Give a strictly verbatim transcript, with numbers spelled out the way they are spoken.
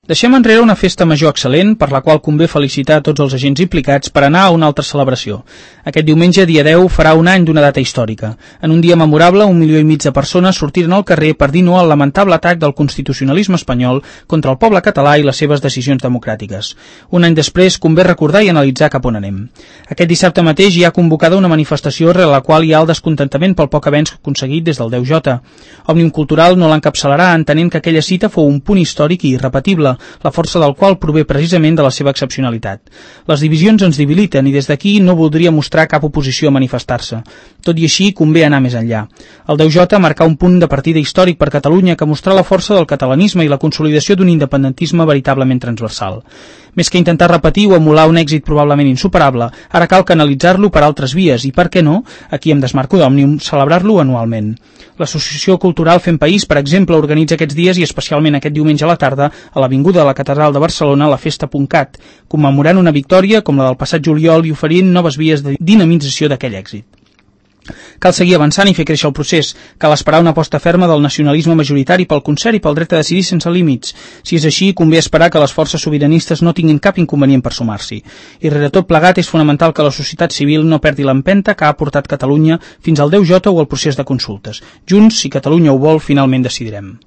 Deixem enrere una festa major excel·lent, per la qual convé felicitar a tots els agents implicats, per anar a una altra celebració. Aquest diumenge, dia deu, farà un any d'una data històrica. En un dia memorable, un milió i mig de persones sortiren al carrer per dir no al lamentable atac del constitucionalisme espanyol contra el poble català i les seves decisions democràtiques. Un any després, convé recordar i analitzar cap on anem. Aquest dissabte mateix hi ha convocada una manifestació rere la qual hi ha el descontentament pel poc avenç aconseguit des del deu J. Òmnium Cultural no l'encapçalarà entenent que aquella cita fou un punt històric i irrepetible, la força del qual prové precisament de la seva excepcionalitat. Les divisions ens debiliten i des d'aquí no voldria mostrar cap oposició a manifestar-se. Tot i així, convé anar més enllà. El deu J marcà un punt de partida històric per Catalunya que mostrà la força del catalanisme i la consolidació d'un independentisme veritablement transversal. Més que intentar repetir o emular un èxit probablement insuperable, ara cal canalitzar-lo per altres vies i, per què no, aquí em desmarco d'Òmnium, celebrar-lo anualment. L'Associació Cultural Fem País, per exemple, organitza aquests dies i especialment aquest diumenge a la tarda a l'Avinguda de la Catedral de Barcelona la Festa.cat, commemorant una victòria com la del passat juliol i oferint noves vies de dinamització d'aquell èxit. Cal seguir avançant i fer créixer el procés. Cal esperar una aposta ferma del nacionalisme majoritari pel concert i pel dret a decidir sense límits. Si és així, convé esperar que les forces sobiranistes no tinguin cap inconvenient per sumar-s'hi. I rere tot plegat és fonamental que la societat civil no perdi l'empenta que ha portat Catalunya fins al deu J o al procés de consultes. Junts, si Catalunya ho vol, finalment decidirem.